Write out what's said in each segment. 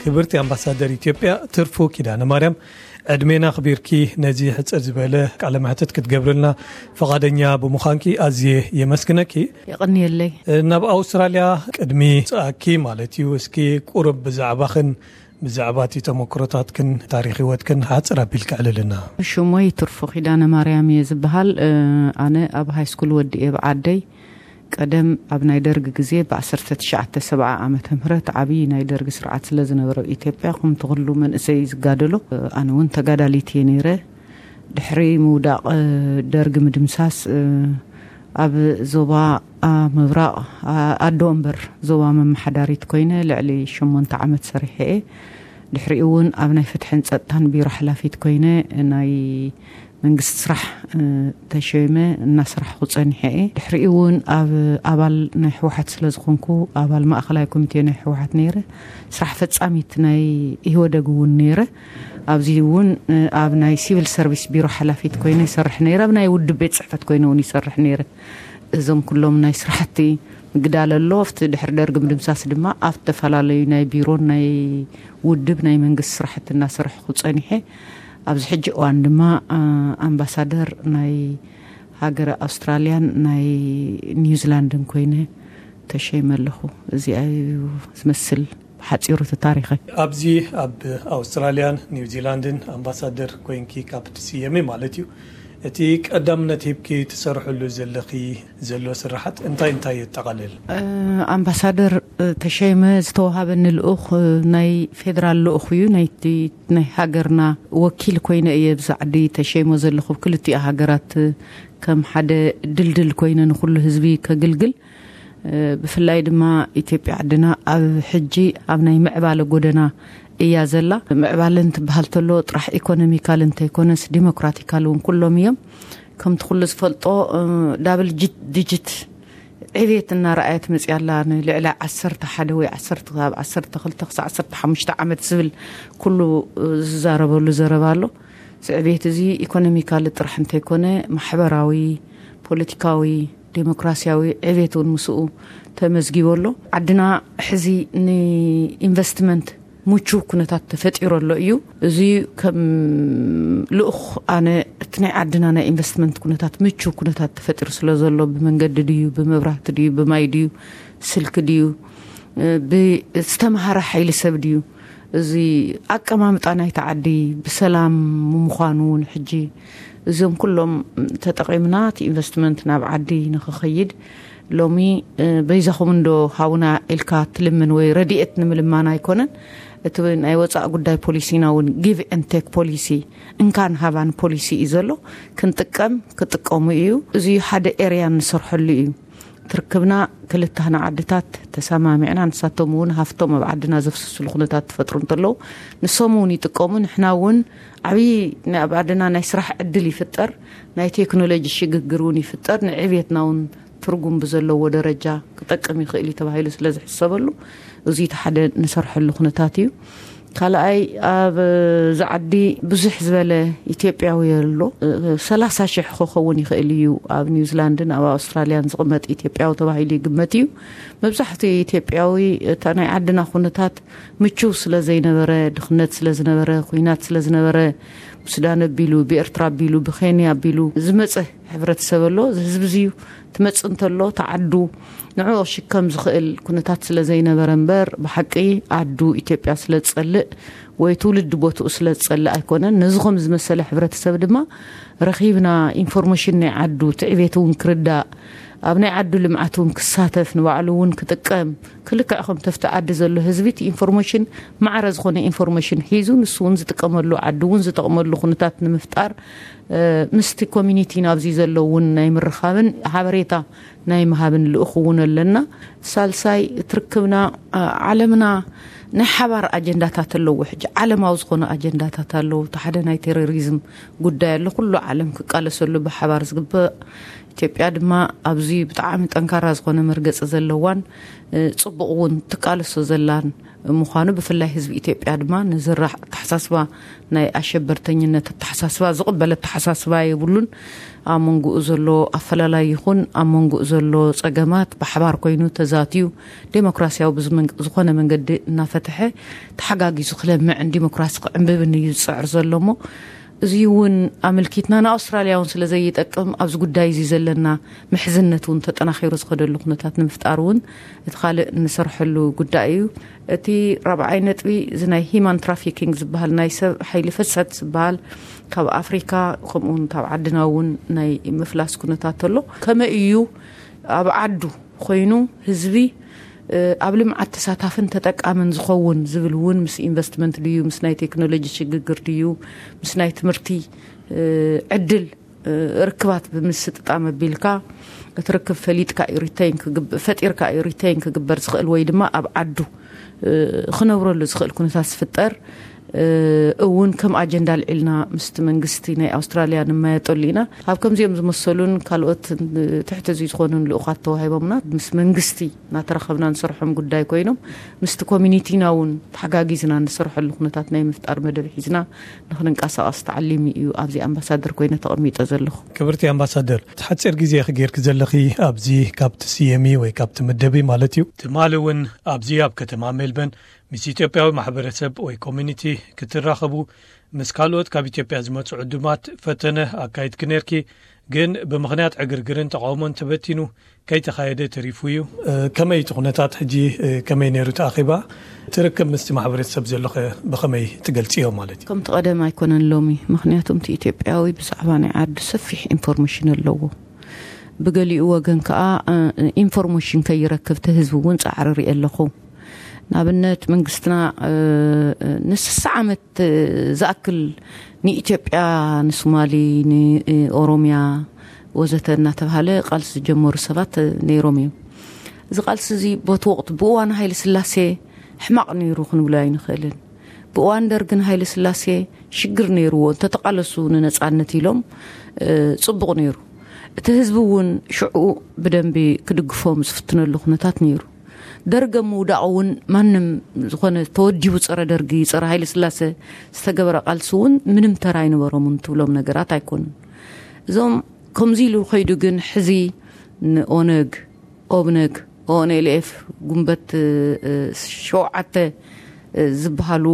ክብርቲ ኣምባሳደር ኢትዮጵያ ትርፉ ኪዳነ ማርያም፣ ዕድሜና ኣኽቢርኪ ነዚ ሕጽር ዝበለ ቃለ መሕትት ክትገብርልና ፈቓደኛ ብምዃንኪ ኣዝየ የመስግነኪ። የቐንየለይ። ናብ ኣውስትራልያ ቅድሚ ምጽኣኪ ማለት እዩ፣ እስኪ ቁሩብ ብዛዕባኽን ብዛዕባ እቲ ተመክሮታትክን ታሪኽ ህይወትክን ሓጽር ኣቢልኪ ኣዕልልና። ሽሞይ ትርፉ ኪዳነ ማርያም እየ ዝበሃል። እ፣ ኣነ ኣብ ሃይስኩል ወዲኤ ብዓደይ ቀደም ኣብ ናይ ደርግ ግዜ ብ1970 ዓመተ ምህረት ዓብዪ ናይ ደርግ ስርዓት ስለ ዝነበረ ኢትዮጵያ፣ ከምቲ ኩሉ መንእሰይ ዝጋደሎ፣ ኣነ እውን ተጋዳሊት እየ ነይረ። ድሕሪ ምውዳቕ ደርግ ምድምሳስ፣ ኣብ ዞባ ምብራቕ ኣዶ እምበር ዞባ መመሓዳሪት ኮይነ ልዕሊ ሸሞንተ ዓመት ሰሪሐ እየ። ድሕሪኡ እውን ኣብ ናይ ፍትሕን ጸጥታን ቢሮ ሓላፊት ኮይነ ናይ መንግስቲ ስራሕ ተሸይመ እናሰራሕኩ ጸኒሐ እየ። ድሕሪኡ እውን ኣብ ኣባል ናይ ህወሓት ስለ ዝኾንኩ፣ ኣባል ማእኸላይ ኮሚቴ ናይ ህወሓት ነይረ፣ ስራሕ ፈጻሚት ናይ ኢህወደግ እውን ነይረ። ኣብዚ እውን ኣብ ናይ ሲቪል ሰርቪስ ቢሮ ሓላፊት ኮይነ ይሰርሕ ነይረ፣ ኣብ ናይ ውድብ ቤት ጽሕፈት ኮይነ እውን ይሰርሕ ነይረ። እዞም ኩሎም ናይ ስራሕቲ ምግዳል ኣሎ። ኣብቲ ድሕሪ ደርግ ምድምሳስ ድማ ኣብ ዝተፈላለዩ ናይ ቢሮን ናይ ውድብ ናይ መንግስቲ ስራሕቲ እናሰራሕኩ ጸኒሐ። ኣብዚ ሕጂ እዋን ድማ ኣምባሳደር ናይ ሃገረ ኣውስትራልያን ናይ ኒውዚላንድን ኮይነ ተሸይመ ኣለኹ። እዚኣ እዩ ዝመስል ብሓጺሩ እቲ ታሪኸይ። ኣብዚ ኣብ ኣውስትራልያን ኒውዚላንድን ኣምባሳደር ኮይንኪ ካብ ትስየሚ ማለት እዩ፣ እቲ ቀዳምነት ሂብኪ ትሰርሕሉ ዘለኺ ዘሎ ስራሓት እንታይ እንታይ የጠቓልል? ኣምባሳደር ተሸይመ ዝተዋሃበኒ ልኡኽ ናይ ፌደራል ልኡኽ እዩ። ናይቲ ናይ ሃገርና ወኪል ኮይነ እየ ብዛ ዓዲ ተሸይሞ ዘለኹ። ክልቲኣ ሃገራት ከም ሓደ ድልድል ኮይነ ንኹሉ ህዝቢ ከግልግል፣ ብፍላይ ድማ ኢትዮጵያ ዓድና ኣብ ሕጂ ኣብ ናይ ምዕባለ ጎደና እያ ዘላ። ምዕባለ እንትበሃል ተሎ ጥራሕ ኢኮኖሚካል እንተይኮነስ ዲሞክራቲካል እውን ኩሎም እዮም። ከምቲ ኩሉ ዝፈልጦ ዳብል ዲጂት ዕቤት እናረኣየት መፅያ ኣላ። ንልዕሊ ዓሰርተ ሓደ ወይ ዓሰርተ፣ ካብ ዓሰርተ ክልተ ክሳብ ዓሰርተ ሓሙሽተ ዓመት ዝብል ኩሉ ዝዛረበሉ ዘረባ ኣሎ። እዚ ዕቤት እዚ ኢኮኖሚካሊ ጥራሕ እንተይኮነ ማሕበራዊ፣ ፖለቲካዊ፣ ዴሞክራሲያዊ ዕቤት እውን ምስኡ ተመዝጊቡ ኣሎ። ዓድና ሕዚ ንኢንቨስትመንት ምቹው ኩነታት ተፈጢሩ ኣሎ እዩ። እዚ ከም ልኡኽ ኣነ እቲ ናይ ዓድና ናይ ኢንቨስትመንት ኩነታት ምቹው ኩነታት ተፈጢሩ ስለ ዘሎ፣ ብመንገዲ ድዩ፣ ብመብራህቲ ድዩ፣ ብማይ ድዩ፣ ስልኪ ድዩ፣ ብዝተምሃረ ሓይሊ ሰብ ድዩ፣ እዚ ኣቀማምጣ ናይቲ ዓዲ ብሰላም ምዃኑ እውን ሕጂ እዞም ኩሎም ተጠቒምና እቲ ኢንቨስትመንት ናብ ዓዲ ንኽኸይድ ሎሚ በይዛኹም እንዶ ሃቡና ኢልካ ትልምን ወይ ረድኤት ንምልማን ኣይኮነን። እቲ ናይ ወፃእ ጉዳይ ፖሊሲና እውን ጊቭ ኤንድ ቴክ ፖሊሲ፣ እንካን ሃባን ፖሊሲ እዩ ዘሎ። ክንጥቀም ክጥቀሙ እዩ። እዚ ሓደ ኤርያ ንሰርሐሉ እዩ። ትርክብና ክልተና ዓድታት ተሰማሚዕና ንሳቶም እውን ሃፍቶም ኣብ ዓድና ዘፍስስሉ ኩነታት ትፈጥሩ እንተለዉ ንሶም እውን ይጥቀሙ። ንሕና እውን ዓብዪ ናይ ኣብ ዓድና ናይ ስራሕ ዕድል ይፍጠር፣ ናይ ቴክኖሎጂ ሽግግር እውን ይፍጠር፣ ንዕብየትና እውን ትርጉም ብዘለዎ ደረጃ ክጠቅም ይኽእል እዩ ተባሂሉ ስለ ዝሕሰበሉ እዚ እቲ ሓደ ንሰርሐሉ ኩነታት እዩ። ካልኣይ ኣብ ዝዓዲ ብዙሕ ዝበለ ኢትዮጵያዊ ኣሎ። ሰላሳ ሽሕ ክኸውን ይኽእል እዩ ኣብ ኒውዚላንድን ኣብ ኣውስትራልያን ዝቕመጥ ኢትዮጵያዊ ተባሂሉ ይግመት እዩ። መብዛሕትኡ ኢትዮጵያዊ እታ ናይ ዓድና ኩነታት ምቹው ስለ ዘይነበረ፣ ድኽነት ስለ ዝነበረ፣ ኩናት ስለ ዝነበረ፣ ብሱዳን ኣቢሉ፣ ብኤርትራ ኣቢሉ፣ ብኬንያ ኣቢሉ ዝመፀ ሕብረተሰብ ኣሎ። እዚ ህዝቢ እዚ እዩ ትመፅእ እንተሎ ተዓዱ ንዕኡ ሽከም ዝኽእል ኩነታት ስለ ዘይነበረ እምበር ብሓቂ ዓዱ ኢትዮጵያ ስለ ዝጸልእ ወይ ትውልዲ ቦትኡ ስለ ዝጸልእ ኣይኮነን። ነዚ ከም ዝመሰለ ሕብረተሰብ ድማ ረኺብና ኢንፎርሜሽን ናይ ዓዱ ትዕቤት እውን ክርዳእ ኣብ ናይ ዓዱ ልምዓት እውን ክሳተፍ ንባዕሉ እውን ክጥቀም ክልክዕ ከም ተፍቲ ዓዲ ዘሎ ህዝቢ እቲ ኢንፎርሜሽን ማዕረ ዝኾነ ኢንፎርሜሽን ሒዙ ንሱ እውን ዝጥቀመሉ ዓዱ እውን ዝጠቕመሉ ኩነታት ንምፍጣር ምስቲ ኮሚኒቲ ናብዚ ዘለውን ናይ ምርኻብን ሓበሬታ ናይ ምሃብን ልኡኽ እውን ኣለና። ሳልሳይ ትርክብና ዓለምና ናይ ሓባር ኣጀንዳታት ኣለዎ። ሕጂ ዓለማዊ ዝኾነ ኣጀንዳታት ኣለዉ። እቲ ሓደ ናይ ቴሮሪዝም ጉዳይ ኣሎ። ኩሉ ዓለም ክቃለሰሉ ብሓባር ዝግበእ ኢትዮጵያ ድማ ኣብዚ ብጣዕሚ ጠንካራ ዝኾነ መርገፂ ዘለዋን፣ እ፣ ፅቡቕ እውን ትቃለሶ ዘላን ምዃኑ፣ ብፍላይ ህዝቢ ኢትዮጵያ ድማ ንዝራ ኣተሓሳስባ፣ ናይ ኣሸበርተኝነት ኣተሓሳስባ ዝቕበል ኣተሓሳስባ የብሉን። ኣብ መንጎኡ ዘሎ ኣፈላላይ ይኹን ኣብ መንጎኡ ዘሎ ፀገማት ብሓባር ኮይኑ ተዛትዩ ዴሞክራሲያዊ ብዝመን-፣ ዝኾነ መንገዲ እናፈትሐ ተሓጋጊዙ ክለምዕን ዲሞክራሲ ክዕንብብን እዩ ዝፅዕር ዘሎ እሞ፣ እዚ እውን ኣመልኪትና ንኣውስትራልያ እውን ስለ ዘይጠቅም ኣብዚ ጉዳይ እዚ ዘለና ምሕዝነት እውን ተጠናኺሩ ዝኸደሉ ኩነታት ንምፍጣር እውን እቲ ካልእ እንሰርሐሉ ጉዳይ እዩ። እቲ ራብዓይ ነጥቢ እዚ ናይ ሂማን ትራፊኪንግ ዝበሃል ናይ ሰብ ሓይሊ ፍሰት ዝበሃል ካብ ኣፍሪካ ከምኡ እውን ካብ ዓድና እውን ናይ ምፍላስ ኩነታት ኣሎ። ከመይ እዩ ኣብ ዓዱ ኮይኑ ህዝቢ፣ እ፣ ኣብ ልምዓት ተሳታፍን ተጠቃምን ዝኸውን ዝብል እውን ምስ ኢንቨስትመንት ድዩ፣ ምስ ናይ ቴክኖሎጂ ሽግግር ድዩ፣ ምስ ናይ ትምህርቲ፣ እ፣ ዕድል፣ እ፣ ርክባት ብምስጥጣም ኣቢልካ እቲ ርክብ ፈሊጥካ እዩ ሪተይን ክግብ-፣ ፈጢርካ እዩ ሪተይን ክግበር ዝኽእል ወይ ድማ ኣብ ዓዱ፣ እ፣ ክነብረሉ ዝኽእል ኩነታት ዝፍጠር፣ እ፣ እውን ከም ኣጀንዳ ኣልዒልና ምስቲ መንግስቲ ናይ ኣውስትራልያ ንመያየጠሉ ኢና። ኣብ ከምዚኦም ዝመሰሉን ካልኦት ትሕቲ እዚ ዝኾኑን ልኡኻት ተዋሂቦምና ምስ መንግስቲ እናተራኸብና ንሰርሖም ጉዳይ ኮይኖም ምስቲ ኮሚኒቲና እውን ተሓጋጊዝና ንሰርሐሉ ኩነታት ናይ ምፍጣር መደብ ሒዝና ንክንንቀሳቐስ ተዓሊሙ እዩ ኣብዚ ኣምባሳደር ኮይነ ተቐሚጠ ዘለኹ። ክብርቲ ኣምባሳደር፣ እቲ ሓፂር ግዜ ክጌርክ ዘለኺ ኣብዚ ካብ ትስየሚ ወይ ካብ ትምደቢ ማለት እዩ። ትማሊ እውን ኣብዚ ኣብ ከተማ ሜልበርን ምስ ኢትዮጵያዊ ማሕበረሰብ ወይ ኮሚኒቲ ክትራኸቡ ምስ ካልኦት ካብ ኢትዮጵያ ዝመጹ ዕዱማት ፈተነ ኣካይድኪ ነርኪ፣ ግን ብምኽንያት ዕግርግርን ተቓውሞን ተበቲኑ ከይተኻየደ ተሪፉ እዩ። እ፣ ከመይ እቲ ኩነታት ሕጂ፣ እ፣ ከመይ ነይሩ እቲ ኣኼባ? እቲ ርክብ ምስቲ ማሕበረሰብ ዘሎኸ ብኸመይ ትገልጽዮ ማለት እዩ? ከምቲ ቀደም ኣይኮነን ሎሚ፣ ምኽንያቱ እቲ ኢትዮጵያዊ ብዛዕባ ናይ ዓዱ ሰፊሕ ኢንፎርሜሽን ኣለዎ። ብገሊኡ ወገን ከኣ፣ እ፣ ኢንፎርሜሽን ከይረክብ እቲ ህዝቢ እውን ጻዕሪ ርኢ ኣለኹ። ንኣብነት መንግስትና፣ እ፣ ንስሳ ዓመት ዝኣክል ንኢትዮጵያ፣ ንሶማሊ፣ ንኦሮሚያ ወዘተ እናተባሃለ ቃልሲ ዝጀመሩ ሰባት ነይሮም እዮም። እዚ ቃልሲ እዚ ቦቲ ወቕቲ ብእዋን ሃይለ ስላሴ ሕማቕ ነይሩ ክንብሎ ኣይንኽእልን። ብእዋን ደርግን ሃይለ ስላሴ ሽግር ነይርዎ፣ እንተተቃለሱ ንነጻነት ኢሎም፣ እ፣ ጽቡቕ ነይሩ። እቲ ህዝቢ እውን ሽዑ ብደንቢ ክድግፎም ዝፍትነሉ ኩነታት ነይሩ። ደርገ ምውዳቕ እውን ማንም ዝኾነ ተወዲቡ ጸረ ደርጊ፣ ጸረ ሃይለ ስላሴ ዝተገበረ ቃልሲ እውን ምንም ተራ ኣይነበሮምን ትብሎም ነገራት ኣይኮኑን። እዞም ከምዚ ኢሉ ከይዱ ግን ሕዚ ንኦነግ፣ ኦብነግ፣ ኦንኤልኤፍ፣ ጉንበት፣ እ፣ ሸውዓተ፣ እ፣ ዝበሃሉ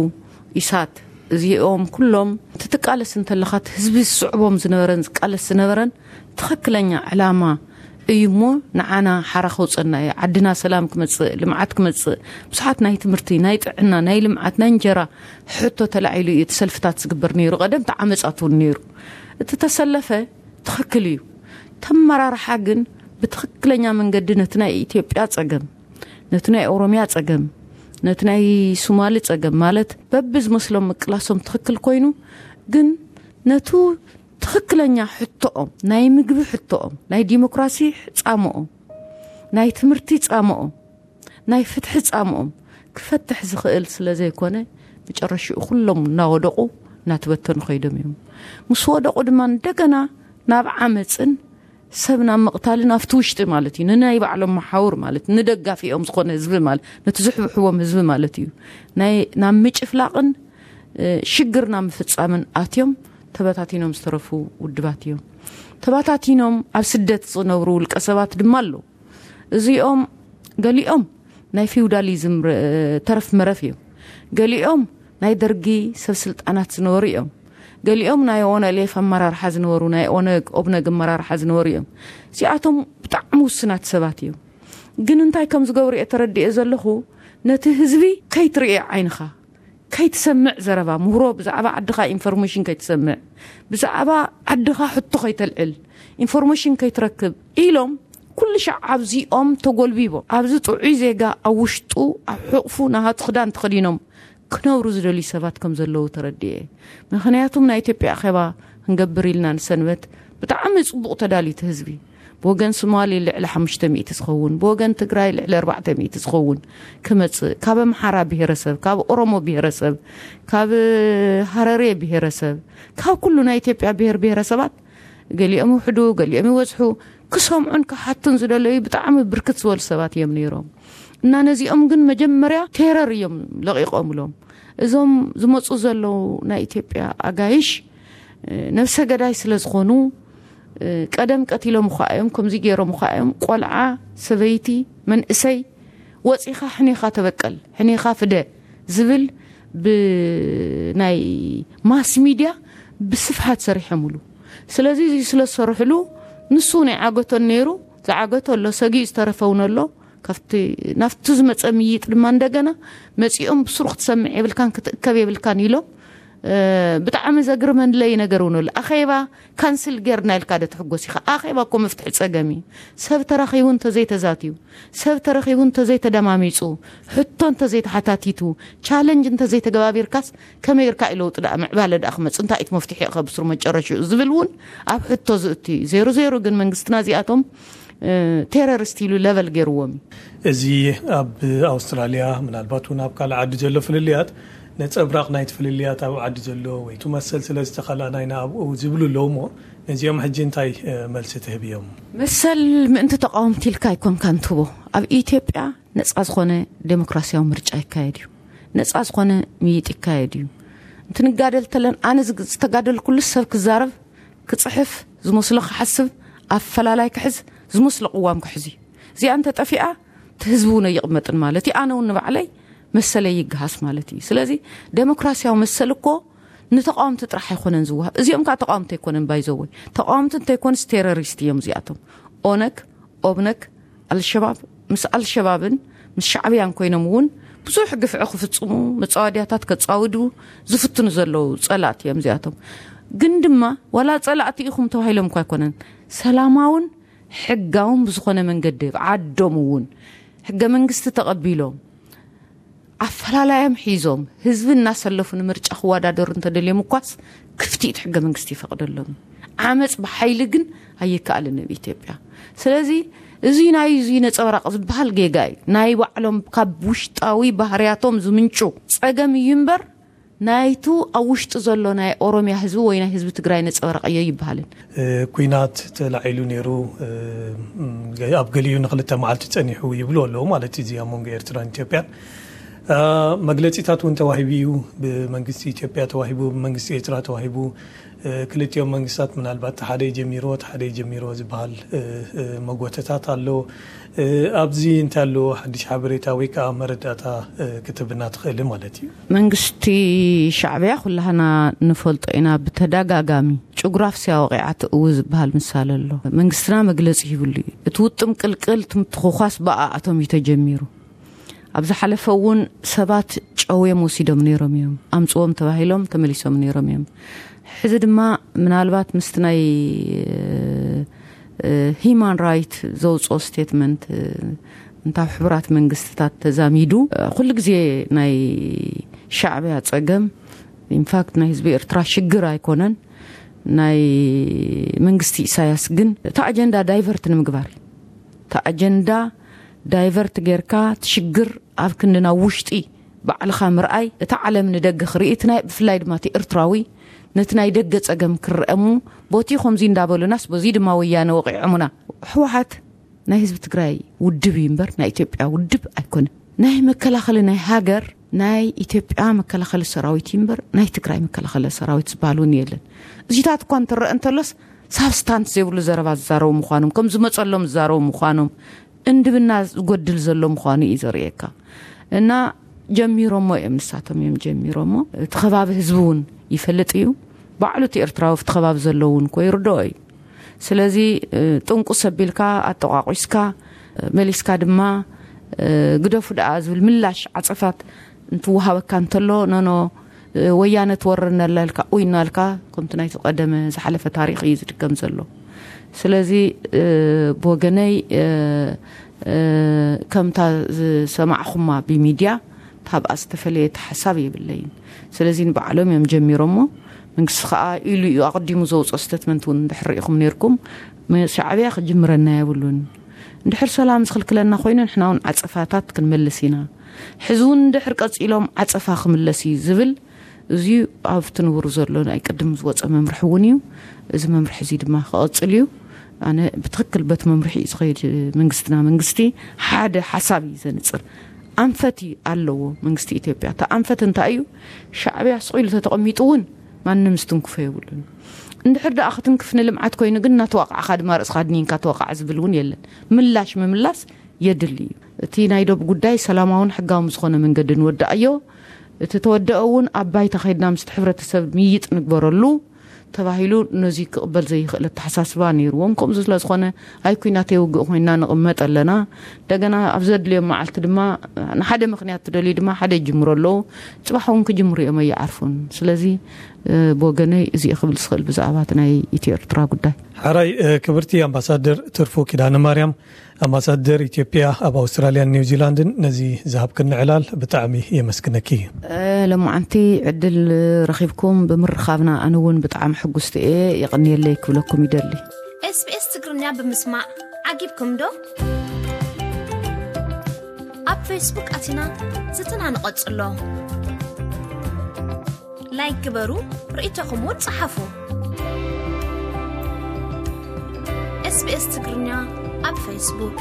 ኢሳት፣ እዚኦም ኩሎም ትትቃለስ እንተለኻ እቲ ህዝቢ ዝስዕቦም ዝነበረን ዝቃለስ ዝነበረን ትኽክለኛ ዕላማ እዩ እሞ ንዓና ሓራ ከውፀና እዩ። ዓድና ሰላም ክመፅእ፣ ልምዓት ክመፅእ፣ ብዙሓት ናይ ትምህርቲ፣ ናይ ጥዕና፣ ናይ ልምዓት፣ ናይ እንጀራ ሕቶ ተላዒሉ እዩ እቲ ሰልፍታት ዝግበር ነይሩ። ቀደም ተዓመፃት እውን ነይሩ። እቲ ተሰለፈ ትኽክል እዩ። ተመራርሓ ግን ብትኽክለኛ መንገዲ ነቲ ናይ ኢትዮጵያ ጸገም፣ ነቲ ናይ ኦሮምያ ጸገም፣ ነቲ ናይ ሱማሊ ጸገም ማለት በብዝመስሎም ምቅላሶም ትኽክል ኮይኑ፣ ግን ነቱ ትኽክለኛ ሕቶኦም፣ ናይ ምግቢ ሕቶኦም፣ ናይ ዲሞክራሲ ጻምኦም፣ ናይ ትምህርቲ ጻምኦም፣ ናይ ፍትሒ ጻምኦም ክፈትሕ ዝኽእል ስለ ዘይኮነ፣ መጨረሽኡ ኩሎም እናወደቑ እናተበተኑ ከይዶም እዮም። ምስ ወደቑ ድማ እንደገና ናብ ዓመፅን ሰብ ናብ ምቕታልን ኣብቲ ውሽጢ ማለት እዩ፣ ንናይ ባዕሎም መሓውር ማለት ንደጋፊኦም ዝኾነ ህዝቢ ማለት ነቲ ዝሕብሕቦም ህዝቢ ማለት እዩ፣ ናይ ናብ ምጭፍላቕን፣ እ፣ ሽግር ናብ ምፍጻምን ኣትዮም ተበታቲኖም ዝተረፉ ውድባት እዮም። ተበታቲኖም ኣብ ስደት ዝነብሩ ውልቀ ሰባት ድማ ኣለዉ። እዚኦም ገሊኦም ናይ ፊውዳሊዝም ር-፣ ተረፍ መረፍ እዮም። ገሊኦም ናይ ደርጊ ሰብ ስልጣናት ዝነበሩ እዮም። ገሊኦም ናይ ኦነሌፍ ኣመራርሓ ዝነበሩ፣ ናይ ኦነግ፣ ኦብነግ ኣመራርሓ ዝነበሩ እዮም። እዚኣቶም ብጣዕሚ ውስናት ሰባት እዮም። ግን እንታይ ከም ዝገብሩ እየ ተረዲኤ ዘለኹ፣ ነቲ ህዝቢ ከይትርእዮ ዓይንኻ፣ ከይትሰምዕ ዘረባ፣ ምህሮ ብዛዕባ ዓድኻ ኢንፎርሜሽን ከይትሰምዕ፣ ብዛዕባ ዓድኻ ሕቶ ከይተልዕል፣ ኢንፎርሜሽን ከይትረክብ ኢሎም ኩሉ ሻዕ ኣብዚኦም ተጎልቢቦም፣ ኣብዚ ጥዑይ ዜጋ ኣብ ውሽጡ ኣብ ሕቑፉ ናሃቱ ክዳን ተኸዲኖም ክነብሩ ዝደልዩ ሰባት ከም ዘለዉ ተረዲኤ። ምኽንያቱም ናይ ኢትዮጵያ ኣኼባ ክንገብር ኢልና ንሰንበት ብጣዕሚ ጽቡቕ ተዳልዩ እቲ ህዝቢ። ብወገን ሶማሊ ልዕሊ ሓሙሽተ ሚእቲ ዝኸውን፣ ብወገን ትግራይ ልዕሊ ኣርባዕተ ሚእቲ ዝኸውን ክመጽእ፣ ካብ ኣምሓራ ብሄረሰብ፣ ካብ ኦሮሞ ብሄረሰብ፣ ካብ ሃረሬ ብሄረሰብ፣ ካብ ኩሉ ናይ ኢትዮጵያ ብሄር ብሄረሰባት ገሊኦም ይውሕዱ፣ ገሊኦም ይወዝሑ፣ ክሰምዑን ክሓቱን ዝደለዩ ብጣዕሚ ብርክት ዝበሉ ሰባት እዮም ነይሮም። እና ነዚኦም ግን መጀመርያ ቴረር እዮም ለቒቖምሎም። እዞም ዝመፁ ዘለዉ ናይ ኢትዮጵያ ኣጋይሽ ነብሰ ገዳይ ስለ ዝኾኑ፣ ቀደም ቀቲሎም እኳ እዮም፣ ከምዚ ገይሮም እኳ እዮም። ቆልዓ፣ ሰበይቲ፣ መንእሰይ ወፂኻ ሕኔኻ ተበቀል፣ ሕኔኻ ፍደ ዝብል ብናይ ማስ ሚድያ ብስፍሓት ሰሪሖምሉ። ስለዚ እዚ ስለ ዝሰርሕሉ፣ ንሱ ናይ ዓገቶን ነይሩ፣ ዝዓገቶ ኣሎ፣ ሰጊኡ ዝተረፈ እውን ኣሎ። ካብቲ ናብቲ ዝመፀ ምይጥ ድማ እንደገና መፂኦም ብስሩ ክትሰምዕ የብልካን ክትእከብ የብልካን ኢሎም። ብጣዕሚ ዘግርመለይ ነገር እውን ኣሎ። ኣኼባ ካንስል ጌርና ኢልካ ዶ ትሕጎስ ኢኻ? ኣኼባ እኮ መፍትሒ ፀገም እዩ። ሰብ ተራኺቡ እንተዘይተዛትዩ፣ ሰብ ተረኺቡ እንተዘይተደማሚፁ፣ ሕቶ እንተዘይተሓታቲቱ፣ ቻለንጅ እንተዘይተገባቢርካስ ከመይ ጌርካ እዩ ለውጢ ደኣ ምዕባለ ደኣ ክመፅእ? እንታይ እቲ መፍትሒ ኢኸ ብስሩ መጨረሽኡ ዝብል እውን ኣብ ሕቶ ዝእቱ እዩ። ዜሮ ዜሮ ግን መንግስትና እዚኣቶም ቴረሪስት ኢሉ ለቨል ገይርዎም እዩ። እዚ ኣብ ኣውስትራልያ፣ ምናልባት እውን ኣብ ካልእ ዓዲ ዘሎ ፍልልያት ነፀብራቕ ናይቲ ፍልልያት ኣብ ዓዲ ዘሎ ወይ ቱ መሰል ስለ ዝተኸላእና ኢና ኣብኡ ዝብሉ ኣለዉ። እሞ ነዚኦም ሕጂ እንታይ መልሲ ትህብዮም? መሰል ምእንቲ ተቃወምቲ ኢልካ ኣይኮንካን ትህቦ። ኣብ ኢትዮጵያ ነፃ ዝኾነ ዴሞክራሲያዊ ምርጫ ይካየድ እዩ። ነፃ ዝኾነ ምይጥ ይካየድ እዩ። እንትንጋደል ተለን ኣነ ዝተጋደልኩሉ ሰብ ክዛረብ፣ ክፅሕፍ፣ ዝመስሎ ክሓስብ፣ ኣፈላላይ ክሕዝ፣ ዝመስሎ ቅዋም ክሕዝ እዩ። እዚኣ እንተጠፊኣ እቲ ህዝቢ እውን ኣይቕመጥን ማለት እዩ። ኣነ እውን ንባዕለይ መሰለይ ይገሃስ ማለት እዩ። ስለዚ ዴሞክራሲያዊ መሰል እኮ ንተቃወምቲ ጥራሕ ኣይኮነን ዝወሃብ። እዚኦም ከዓ ተቃወምቲ ኣይኮነን ባይዘወይ። ተቃወምቲ እንተይኮንስ ቴሮሪስት እዮም እዚኣቶም። ኦነግ፣ ኦብነግ፣ ኣልሸባብ፣ ምስ ኣልሸባብን ምስ ሻዕብያን ኮይኖም እውን ብዙሕ ግፍዒ ክፍፅሙ፣ መፃወድያታት ከፃውዱ ዝፍትኑ ዘለዉ ፀላእቲ እዮም እዚኣቶም። ግን ድማ ዋላ ፀላእቲ ኢኹም ተባሂሎም እኳ ኣይኮነን፣ ሰላማውን ሕጋውን ብዝኾነ መንገዲ ኣብ ዓዶም እውን ሕገ መንግስቲ ተቐቢሎም ኣፈላላዮም ሒዞም ህዝቢ እናሰለፉ ንምርጫ ክወዳደሩ እንተደልዮም እኳስ ክፍቲ እቲ ሕገ መንግስቲ ይፈቅደሎም። ዓመፅ ብሓይሊ ግን ኣይከኣልን ኣብ ኢትዮጵያ። ስለዚ እዚ ናይ እዚ ነፀብራቅ ዝበሃል ጌጋ እዩ። ናይ ባዕሎም ካብ ውሽጣዊ ባህርያቶም ዝምንጩ ፀገም እዩ እምበር ናይቱ ኣብ ውሽጢ ዘሎ ናይ ኦሮሚያ ህዝቢ ወይ ናይ ህዝቢ ትግራይ ነፀብራቅ እዮ ይበሃልን። ኩናት ተላዒሉ ነይሩ። ኣብ ገሊኡ ንክልተ መዓልቲ ፀኒሑ ይብሉ ኣለዉ ማለት እዩ። እዚ ኣብ መንጎ ኤርትራን ኢትዮጵያን መግለፂታት እውን ተዋሂቡ እዩ። ብመንግስቲ ኢትዮጵያ ተዋሂቡ፣ ብመንግስቲ ኤርትራ ተዋሂቡ። ክልቲኦም መንግስታት ምናልባት ሓደ ጀሚርዎ ሓደ ጀሚርዎ ዝበሃል መጎተታት ኣሎ። ኣብዚ እንታይ ኣሎ ሓድሽ ሓበሬታ ወይ ከዓ መረዳእታ ክትብና ትኽእል ማለት እዩ? መንግስቲ ሻዕብያ ኩላህና ንፈልጦ ኢና። ብተደጋጋሚ ጭጉራፍ ሲያ ወቂዓ ትእዊ ዝበሃል ምሳሌ ኣሎ። መንግስትና መግለፂ ሂብሉ እዩ። እቲ ውጥም ቅልቅል ትምትኹኳስ ብኣኣቶም እዩ ተጀሚሩ። ኣብ ዝሓለፈ እውን ሰባት ጨውዮም ወሲዶም ነይሮም እዮም። ኣምፅዎም ተባሂሎም ተመሊሶም ነይሮም እዮም። ሕዚ ድማ ምናልባት ምስቲ ናይ ሂማን ራይት ዘውፅኦ ስቴትመንት እንታብ ሕቡራት መንግስትታት ተዛሚዱ ኩሉ ግዜ ናይ ሻዕብያ ፀገም ኢንፋክት ናይ ህዝቢ ኤርትራ ሽግር ኣይኮነን። ናይ መንግስቲ ኢሳያስ ግን እቲ ኣጀንዳ ዳይቨርት ንምግባር እዩ። እቲ ኣጀንዳ ዳይቨርት ጌርካ እቲ ሽግር ኣብ ክንዲ ናብ ውሽጢ ባዕልኻ ምርኣይ፣ እቲ ዓለም ንደገ ክርኢ፣ እቲ ናይ ብፍላይ ድማ እቲ ኤርትራዊ ነቲ ናይ ደገ ጸገም ክርአ እሞ ቦቲ ከምዚ እንዳበሉናስ በዚ ድማ ወያነ ወቒዖምና። ህወሓት ናይ ህዝቢ ትግራይ ውድብ እዩ እምበር ናይ ኢትዮጵያ ውድብ ኣይኮነን። ናይ መከላኸሊ ናይ ሃገር ናይ ኢትዮጵያ መከላኸሊ ሰራዊት እዩ እምበር ናይ ትግራይ መከላኸሊ ሰራዊት ዝበሃል እውን የለን። እዚታት እኳ እንትረአ እንተሎስ ሳብስታንስ ዘይብሉ ዘረባ ዝዛረቡ ምዃኖም፣ ከም ዝመፀሎም ዝዛረቡ ምዃኖም፣ እንድብና ዝጎድል ዘሎ ምዃኑ እዩ ዘርእየካ። እና ጀሚሮሞ እዮም፣ ንሳቶም እዮም ጀሚሮሞ። እቲ ከባቢ ህዝቢ እውን ይፈልጥ እዩ። ባዕሉ እቲ ኤርትራዊ ኣብቲ ከባቢ ዘሎ እውን እኮ ይርድኦ እዩ። ስለዚ ጥንቁስ ኣቢልካ ኣጠቋቂስካ መሊስካ ድማ ግደፉ ደኣ ዝብል ምላሽ ዓጸፋት እንትወሃበካ እንተሎ፣ ኖኖ ወያነ ትወረና ኣላ ኢልካ ኡይ እናልካ፣ ከምቲ ናይቲ ቀደመ ዝሓለፈ ታሪኽ እዩ ዝድገም ዘሎ። ስለዚ ብወገነይ ከምታ ዝሰማዕኹማ ብሚድያ ታብኣ ዝተፈለየ ሓሳብ የብለይን። ስለዚ ንባዕሎም እዮም ጀሚሮሞ። መንግስቲ ከዓ ኢሉ እዩ ኣቐዲሙ ዘውፅኦ ስተትመንት እውን እንድሕር ርኢኹም ነይርኩም፣ ሻዕብያ ክጅምረና የብሉን። እንድሕር ሰላም ዝኽልክለና ኮይኑ ንሕና እውን ዓፀፋታት ክንመልስ ኢና። ሕዚ እውን እንድሕር ቀፂሎም ዓፀፋ ክምለስ እዩ ዝብል እዚ ኣብቲ ንቡር ዘሎ ናይ ቅድም ዝወፀ መምርሒ እውን እዩ። እዚ መምርሒ እዚ ድማ ክቐፅል እዩ። ኣነ ብትኽክል በት መምርሒ እዩ ዝኸይድ። መንግስትና መንግስቲ ሓደ ሓሳብ እዩ ዘንፅር። ኣንፈት እዩ ኣለዎ መንግስቲ ኢትዮጵያ። እታ ኣንፈት እንታይ እዩ? ሻዕብያ ስቕ ኢሉ ተተቐሚጡ እውን ማንም ዝትንክፎ የብሉን። እንድሕር ደኣ ክትንክፍ ንልምዓት ኮይኑ ግን እናተዋቃዕካ ድማ ርእስኻ ድኒንካ ተዋቃዕ ዝብል እውን የለን። ምላሽ ምምላስ የድሊ እዩ። እቲ ናይ ዶብ ጉዳይ ሰላማውን ሕጋውን ዝኾነ መንገዲ ንወዳእዮ። እቲ ተወደአ እውን ኣብ ባይታ ከይድና ምስቲ ሕብረተሰብ ምይጥ ንግበረሉ ተባሂሉ ነዚ ክቕበል ዘይኽእል ኣተሓሳስባ ነይርዎም። ከምዚ ስለ ዝኾነ ኣይ ኩናት የውግእ ኮይና ንቕመጥ ኣለና። እንደገና ኣብ ዘድልዮም መዓልቲ ድማ ንሓደ ምኽንያት ትደልዩ ድማ ሓደ ይጅምሩ ኣለዉ። ጽባሕ እውን ክጅምሩ እዮም ኣይዓርፉን። ስለዚ ብወገነይ እዚ ክብል ዝኽእል ብዛዕባ እቲ ናይ ኢትዮ ኤርትራ ጉዳይ። ሓራይ ክብርቲ ኣምባሳደር ትርፉ ኪዳነ ማርያም፣ ኣምባሳደር ኢትዮጵያ ኣብ ኣውስትራልያን ኒውዚላንድን ነዚ ዝሃብክኒ ዕላል ብጣዕሚ የመስግነኪ። ሎማዓንቲ ዕድል ረኺብኩም ብምርኻብና ኣነ እውን ብጣዕሚ ሕጉስቲ እየ። የቐንየለይ ክብለኩም ይደሊ። ኤስቢኤስ ትግርኛ ብምስማዕ ዓጊብኩም ዶ? ኣብ ፌስቡክ ኣቲና ዝትና ንቐጽሎ። ላይክ ግበሩ፣ ርእይቶኹም እውን ጸሓፉ። ኤስቢኤስ ትግርኛ ኣብ ፌስቡክ።